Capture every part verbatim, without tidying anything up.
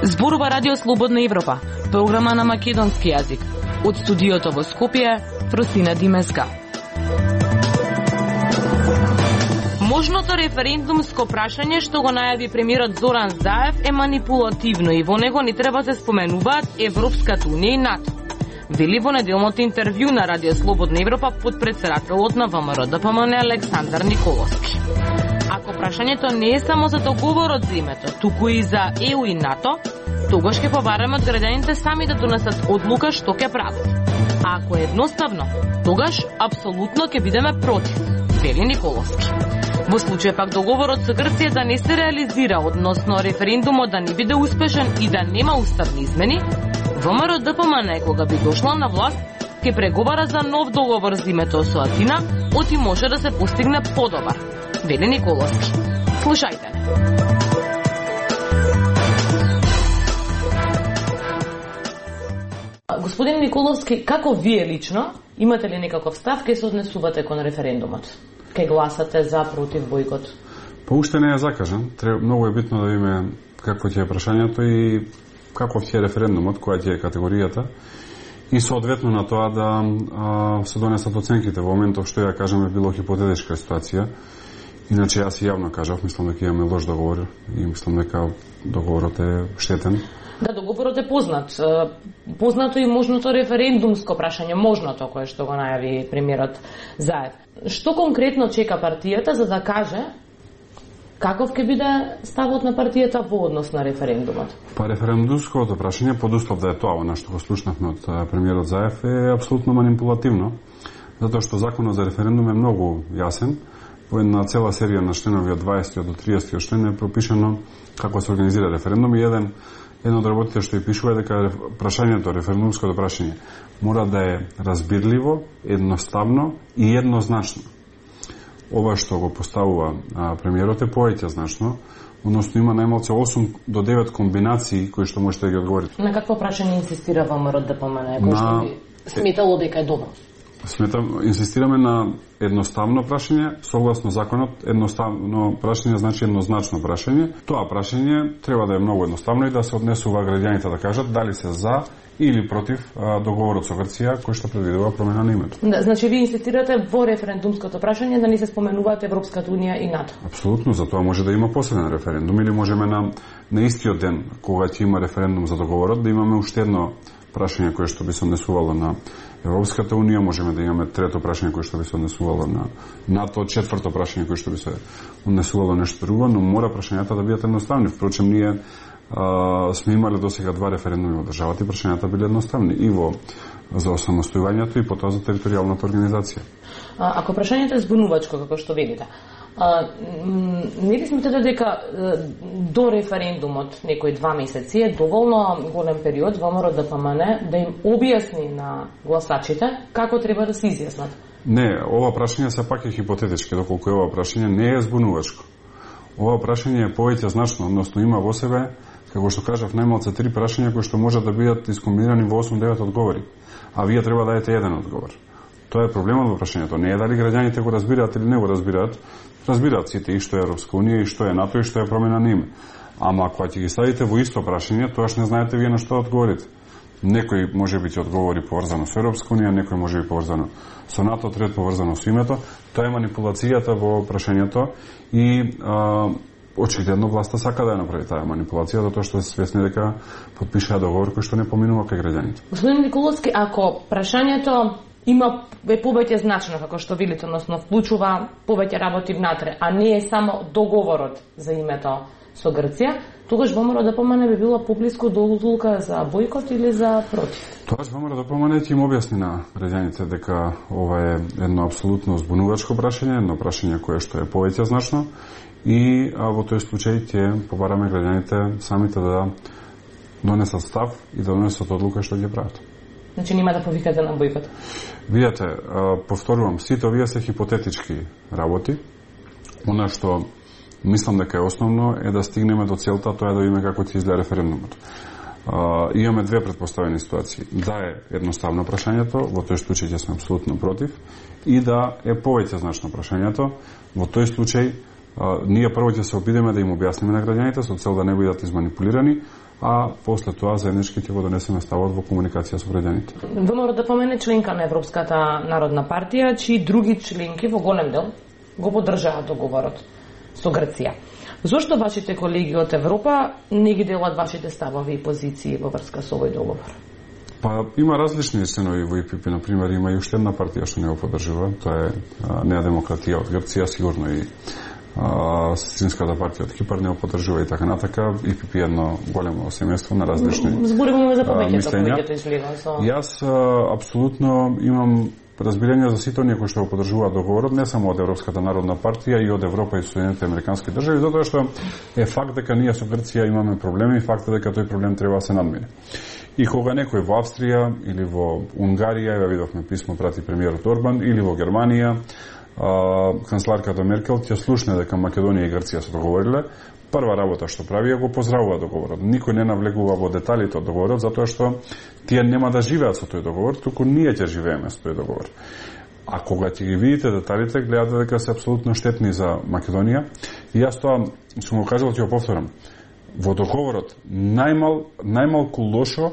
Зборува Радио Слободна Европа, програма на македонски јазик. Од студиото во Скопје, Фросина Димеска. Можното референдумско прашање што го најави премиерот Зоран Заев е манипулативно и во него не треба да се споменуваат Европската унија и НАТО. Вели во неделното интервју на Радио Слободна Европа потпредседателот на ВМРО Д П М Н Александар Николовски. Ако прашањето не е само за договорот за името, туку и за Е У и НАТО, тогаш ќе побараме од граѓаните сами да донесат одлука што ќе прават. А ако е едноставно, тогаш апсолутно ќе бидеме против, вели Николовски. Во случај пак договорот со Грција да не се реализира, односно референдумот да не биде успешен и да нема уставни измени, ВМРО Д П М Н кога би дошла на власт, ќе преговара за нов договор за името со Атина, оти може да се постигне подобар, вели Николовски. Слушајте. Господин Николовски, како вие лично имате ли некаков став кај се однесувате кон референдумот? Кај гласате за, против, бојкот? Па уште не е закажан. Треб, многу е битно да видиме какво ќе е прашањето и каков ќе е референдумот, која ќе е категоријата и соодветно на тоа да а, се донесат оценките. Во моментов што ја кажеме било хипотетичка ситуација. Иначе јас и јавно кажав, мислам дека имаме лош договор и мислам дека договорот е штетен. Да, договорот е познат. Познато и можното референдумско прашање, можното кое што го најави премиерот Заев. Што конкретно чека партијата за да каже каков ќе биде ставот на партијата во однос на референдумот? Па референдумското прашање, под услов да е тоа, она што го слушнавме од премиерот Заев, е апсолутно манипулативно, затоа што законот за референдум е многу јасен. Во една цела серија на членови од дваесети до триесети член е пропишано како се организира референдум и еден едно од работите што ја пишува е дека прашањето, референдумското прашање мора да е разбирливо, едноставно и еднозначно. Ова што го поставува а, премиерот е повеќе значно, односно има најмалку осум до девет комбинации кои што можете да ги одговорите. На какво прашање инсистира ВМРО Д П М Н, кој што би сметало дека е добро? Сметам, инсистираме на едноставно прашање, согласно законот, едноставно прашање значи еднозначно прашање. Тоа прашање треба да е многу едноставно и да се однесува граѓаните да кажат дали се за или против а, договорот со Грција кој што предвидува промена на името. Да, значи ви инсистирате во референдумското прашање да не се споменуваат Европската унија и НАТО. Апсолутно, за тоа може да има посебен референдум или можеме на на истиот ден кога ќе има референдум за договорот да имаме уште едно прашање кое што би се однесувало на Европската унија, можеме да имаме трето прашање кое што би се однесувало на НАТО, четврто прашање кое што би се однесувало нешто друго, но мора прашањата да бидат едноставни. Впрочем, ние а, сме имале досега два референдуми во државата и прашањата биле едноставни и во за осамостојувањето и потоа за територијалната организација. А, ако прашањето е збунувачко, како што велите, А, не ли смятате дека до референдумот некои два месеци е доволно голем период ВМРО Д П М Н да им објасни на гласачите како треба да се изјаснат? Не, ова прашање се пак е хипотетички, доколку ова прашање не е збунувачко. Ова прашање е повеќе значно, односно има во себе, како што кажав, најмалку три прашања кои што можат да бидат искомбинирани во осум-девет одговори, а вие треба да дадете еден одговор. Тоа е проблемот во прашањето. Не е дали граѓаните го разбираат или не го разбираат. Разбираат сите и што е Европска унија, и што е НАТО, и што е промена на име. Ама ако ќе ги ставите во исто прашање, тоаш не знаете вие на што одговорите. Некој може би ќе одговори поврзано со Европска унија, некој може би поврзано со НАТО, трет поврзано со името. Тоа е манипулацијата во прашањето и а, очигледно власта сака да ја направи таа манипулација, затоа што се свесни дека потпишаа договор кој што не поминува кај граѓаните. Господин Николовски, ако прашањето има е повеќе значно, како што велите, односно вклучува повеќе работи внатре, а не е само договорот за името со Грција, тогаш ВМРО Д П М Н би било поблиску до одлука за бојкот или за против? Тогаш ВМРО Д П М Н ќе им објасни на граѓаните дека ова е едно апсолутно збунувачко прашање, едно прашање кое што е повеќе значно и а, во тој случај ќе побараме граѓаните самите да донесат став и да донесат одлука што ќе прават. Значи нема да повикате на бојкот? Видете, повторувам, сите овие се хипотетички работи. Она што мислам дека е основно е да стигнеме до целта, тоа е да видиме како ќе изгледа референдумот. Uh, имаме две предпоставени ситуации. Да е едноставно прашањето, во тој случај ќе сме апсолутно против, и да е повеќе значно прашањето, во тој случај uh, ние прво ќе се обидеме да им објасниме на граѓаните со цел да не бидат изманипулирани, а после тоа заеднички ќе го донесеме ставот во комуникација со граѓаните. ВМРО да помене членка на Европската народна партија, чии други членки во голем дел го поддржаат договорот со Грција. Зошто вашите колеги од Европа не ги делат вашите ставови и позиции во врска со овој договор? Па има различни сценови во И Пи Пи, на пример, има и уште една партија што не го поддржува, тоа е Неа демократија од Грција, сигурно и Сестринската партија од Кипар не го поддржува и така натака. И Пи Пи е едно големо семејство на различни зборуваме за повеќето, повеќето излива со. Јас апсолутно имам разбирање за сите оние кои што го поддржуваат договорот, не само од Европската народна партија, и од Европа и Соединетите американски држави, затоа што е факт дека ние со Грција имаме проблеми и факт е дека тој проблем треба да се надмине. И кога некој во Австрија или во Унгарија, ја видовме писмо прати премиерот Орбан, или во Германија, канцеларката Меркел ќе слушне дека Македонија и Грција се договориле, прва работа што прави е го поздравува договорот. Никој не навлегува во деталите од договорот, затоа што тие нема да живеат со тој договор, туку ние ќе живееме со тој договор. А кога ќе ги видите деталите, гледате дека се апсолутно штетни за Македонија. И јас тоа сум го кажал, ќе го повторам. Во договорот најмал најмалку лошо,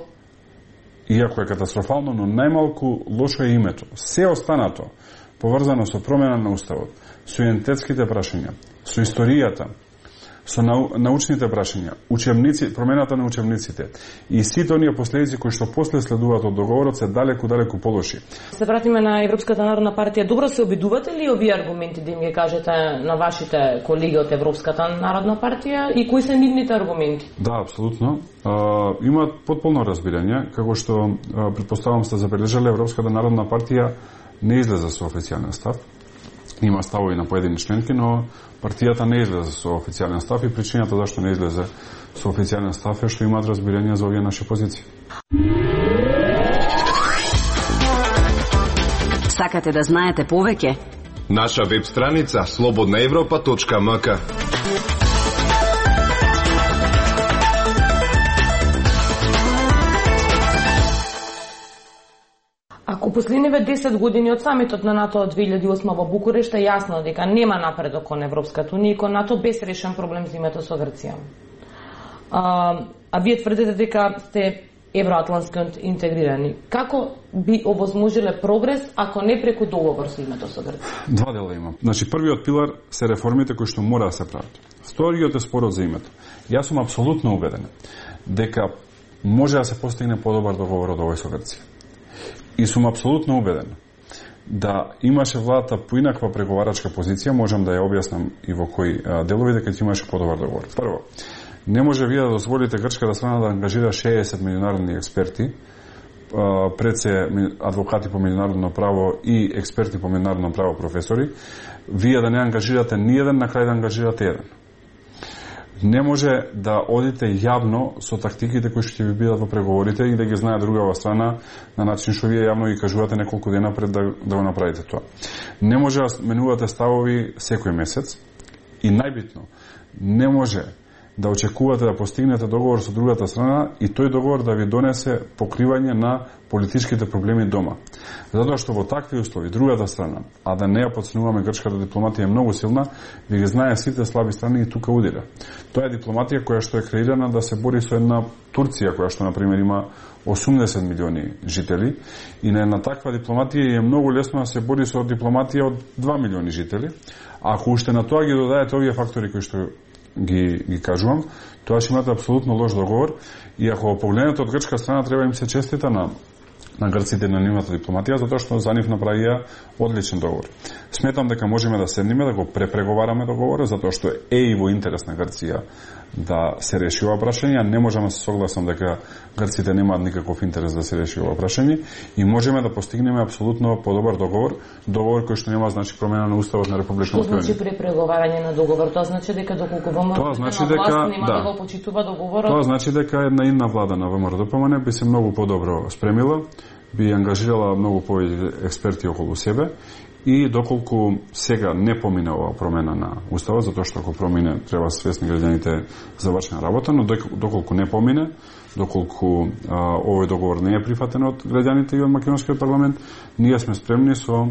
иако е катастрофално, но најмалку лошо е името. Се останато поврзано со промена на уставот, со идентитетските прашања, со историјата, со нау, научните прашања, учебници, промената на учебниците и сите оние последици кои што после следуваат од договорот се далеку далеку полоши. Се вратиме на Европската народна партија. Добро се обидувате ли овие аргументи да им ги кажете на вашите колеги од Европската народна партија и кои се нивните аргументи? Да, апсолутно. А, имаат потполно разбирање, како што а, претпоставам сте забележале, Европската народна партија не излезе со официјален став. Има ставови на поедини членки, но партијата не излезе со официјален став и причината зашто не излезе со официјален став е што имаат разбирање за овие наши позиции. Сакате да знаете повеќе? Наша веб страница слободна европа точка ем ка. Ако последниве десет години од самитот на НАТО од две илјади и осма во Букурешт е јасно дека нема напредок кон Европската унија и кон НАТО без решен проблем за името со Грција. А, а вие тврдите дека сте евроатлантски интегрирани. Како би овозможиле прогрес ако не преку договор со името со Грција? Два дела има. Значи, првиот пилар се реформите кои што мора да се прават. Вториот е спорот за името. Јас сум апсолутно убеден дека може да се постигне подобар договор од овој со Грција. И сум апсолутно убеден да имаше владата поинаква преговарачка позиција, можам да ја објаснам и во кои делови, дека ќе имаше подобар договор. Прво, не може вие да дозволите грчката страна да ангажира шеесет меѓународни експерти, пред се адвокати по меѓународно право и експерти по меѓународно право професори, вие да не ангажирате ниеден, на крај да ангажирате еден. Не може да одите јавно со тактиките кои што ќе ви бидат во преговорите и да ги знае другава страна на начин што вие јавно ги кажувате неколку дена пред да, да го направите тоа. Не може да менувате ставови секој месец и најбитно, не може да очекувате да постигнете договор со другата страна и тој договор да ви донесе покривање на политичките проблеми дома. Затоа што во такви услови другата страна, а да не ја подценуваме, грчката дипломатија е многу силна, ви ги знае сите слаби страни и тука удира. Тоа е дипломатија која што е креирана да се бори со една Турција која што на пример има осумдесет милиони жители и на една таква дипломатија е многу лесно да се бори со дипломатија од два милиони жители. А ако уште на тоа ги додаете овие фактори кои што ги, ги кажувам, тоа ќе имате апсолутно лош договор и ако погледнете од грчка страна треба им се честита на на грците на нивната дипломатија, затоа што за нив направија одличен договор. Сметам дека можеме да седнеме, да го препреговараме договорот, затоа што е и во интерес на Грција да се реши ова прашање, не можам да се согласам дека грците немаат никаков интерес да се реши ова прашање и можеме да постигнеме апсолутно подобар договор, договор кој што нема значи промена на уставот на Република Македонија. Што значи препреговарање на договор? Тоа значи дека доколку ВМРО значи дека нема да, да го почитува договорот. Тоа значи дека една идна влада на ВМРО би се многу подобро спремила, би ангажирала многу повеќе експерти околу себе и доколку сега не помине ова промена на уставот, затоа што ако промине треба свесни граѓаните завршена работа, но доколку не помине, доколку а, овој договор не е прифатен од граѓаните и од македонскиот парламент, ние сме спремни со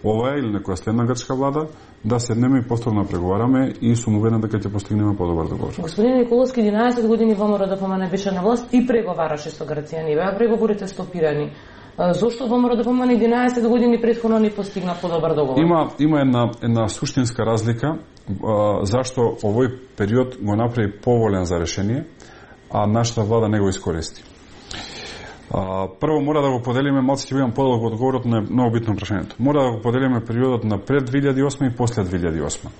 оваа или некоја следна грчка влада да седнеме и повторно преговараме и сум уверен дека ќе постигнеме подобар договор. Господин Николовски, единаесет години ВМРО-ДПМНЕ беше на власт и преговараше со Грција, не беа преговорите стопирани. Зошто ВМРО-ДПМНЕ единаесет години претходно не постигна подобар договор? Има има една една суштинска разлика а, зашто овој период го направи поволен за решение, а нашата влада не го искористи. А, прво мора да го поделиме, малку ќе бидам подолг одговорот на многу битно прашањето. Мора да го поделиме периодот на пред две илјади и осма и после две илјади и осма.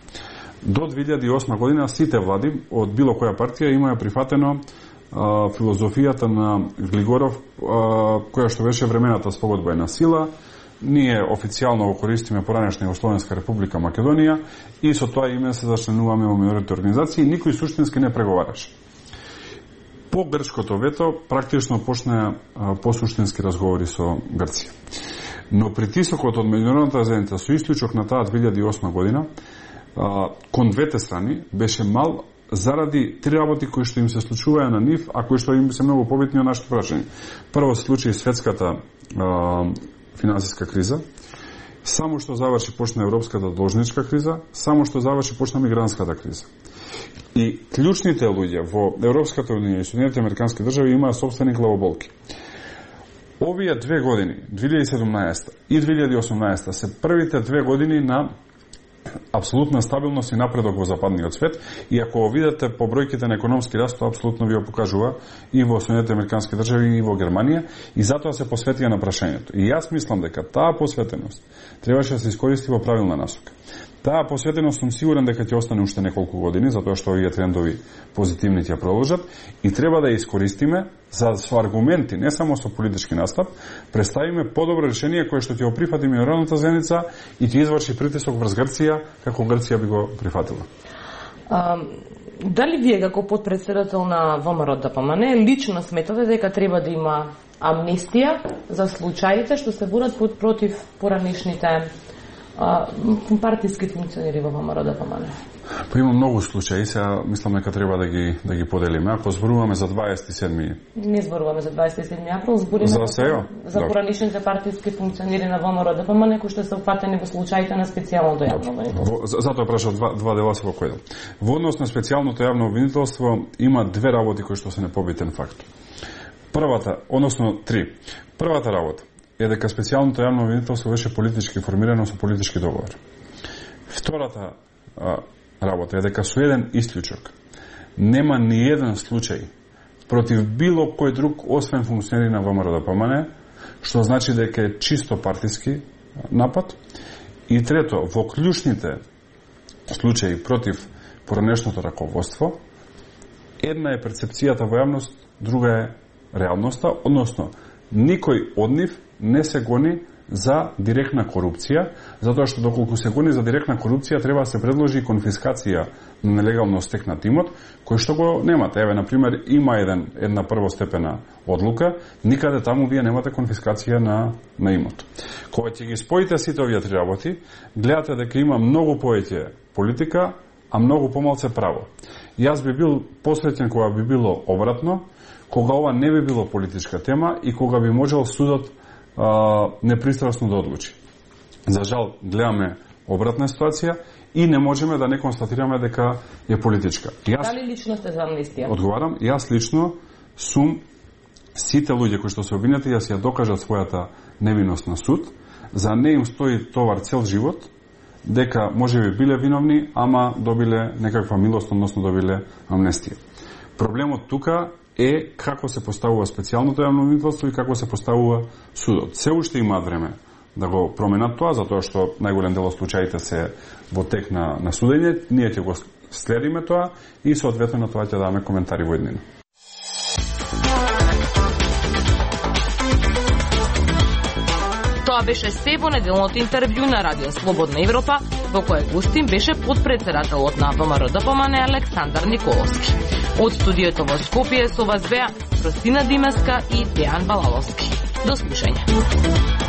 До две илјади и осма година сите влади од било која партија имаја прифатено а, филозофијата на Глигоров, а, која што беше времената спогодба е на сила. Ние официјално го користиме поранешна Југословенска република Македонија и со тоа име се зачленуваме во меѓународните организации и никој суштински не преговараше. По грчкото вето практично почнаа посуштински разговори со Грција. Но притисокот од меѓународната заедница со исклучок на таа две илјади и осма година кон двете страни беше мал заради три работи кои што им се случуваја на нив, а кои што им се многу побитни од нашето прашање. Прво се случи светската а, финансиска криза, само што заврши почна европската должничка криза, само што заврши почна мигрантската криза. И клучните луѓе во Европската унија и Соединетите американски држави имаа сопствени главоболки. Овие две години, две илјади и седумнаесета и две илјади и осумнаесета, се првите две години на апсолутна стабилност и напредок во западниот свет, и ако го видите по бројките на економски раст, тоа апсолутно ви го покажува и во Соединетите американски држави и во Германија, и затоа се посветија на прашањето. И јас мислам дека таа посветеност требаше да се искористи во правилна насока. Таа посветеност сум сигурен дека ќе остане уште неколку години, затоа што овие трендови позитивни ќе продолжат и треба да ја искористиме за со аргументи, не само со политички настап, представиме подобро решение кое што ќе го прифати меѓународната заедница и ќе изврши притисок врз Грција, како Грција би го прифатила. А, дали вие како потпредседател на ВМРО-ДПМНЕ лично сметате дека треба да има амнестија за случаите што се водат против поранешните партиски функционери во ВМРО-ДПМНЕ? Па има многу случаи, сега мислам дека треба да ги да ги поделиме. Ако зборуваме за дваесет и седми Не зборуваме за дваесет и седми април, зборуваме за, за, за поранешните партиски функционери на ВМРО-ДПМНЕ кои што се опфатени во случаите на специјалното јавно обвинителство. Затоа прашав два, два дела се во кој дел. Во однос на специјалното јавно обвинителство има две работи кои што се непобитен факт. Првата, односно три. Првата работа е дека специјалното јавно обвинителство беше политички формирано со политички договор. Втората а, работа е дека со еден исклучок нема ни еден случај против било кој друг освен функционери на ВМРО-ДПМНЕ, што значи дека е чисто партиски напад. И трето, во клучните случаи против поранешното раководство, една е перцепцијата во јавност, друга е реалноста, односно никој од нив не се гони за директна корупција, затоа што доколку се гони за директна корупција треба да се предложи конфискација на нелегално стекнат имот, кој што го немате. Еве, например, има еден, една првостепена одлука, никаде таму вие немате конфискација на, на имот. Кога ќе ги споите сите овие три работи, гледате дека има многу повеќе политика, а многу помалце право. Јас би бил посреќен кога би било обратно, кога ова не би било политичка тема и кога би можел судот а, непристрасно да одлучи. За жал, гледаме обратна ситуација и не можеме да не констатираме дека е политичка. Јас, Дали лично сте за амнестија? Одговарам, јас лично сум сите луѓе кои што се обвинети да се ја докажат својата невиност на суд, за не им стои товар цел живот, дека можеби биле виновни, ама добиле некаква милост, односно добиле амнестија. Проблемот тука е како се поставува специјалното јавно обвинителство и како се поставува судот. Се уште имаат време да го променат тоа, затоа што најголем дел од случаите се во тек на, на судење. Ние ќе го следиме тоа и соодветно на тоа ќе даваме коментари во еднина. Тоа беше се во неделното интервју на Радио Слободна Европа, во кое гостин беше подпредседателот на ВМРО-ДПМНЕ Александар Николовски. Од студиото во Скопје со вас беа Ростина Димеска и Дејан Балаловски. До слушање.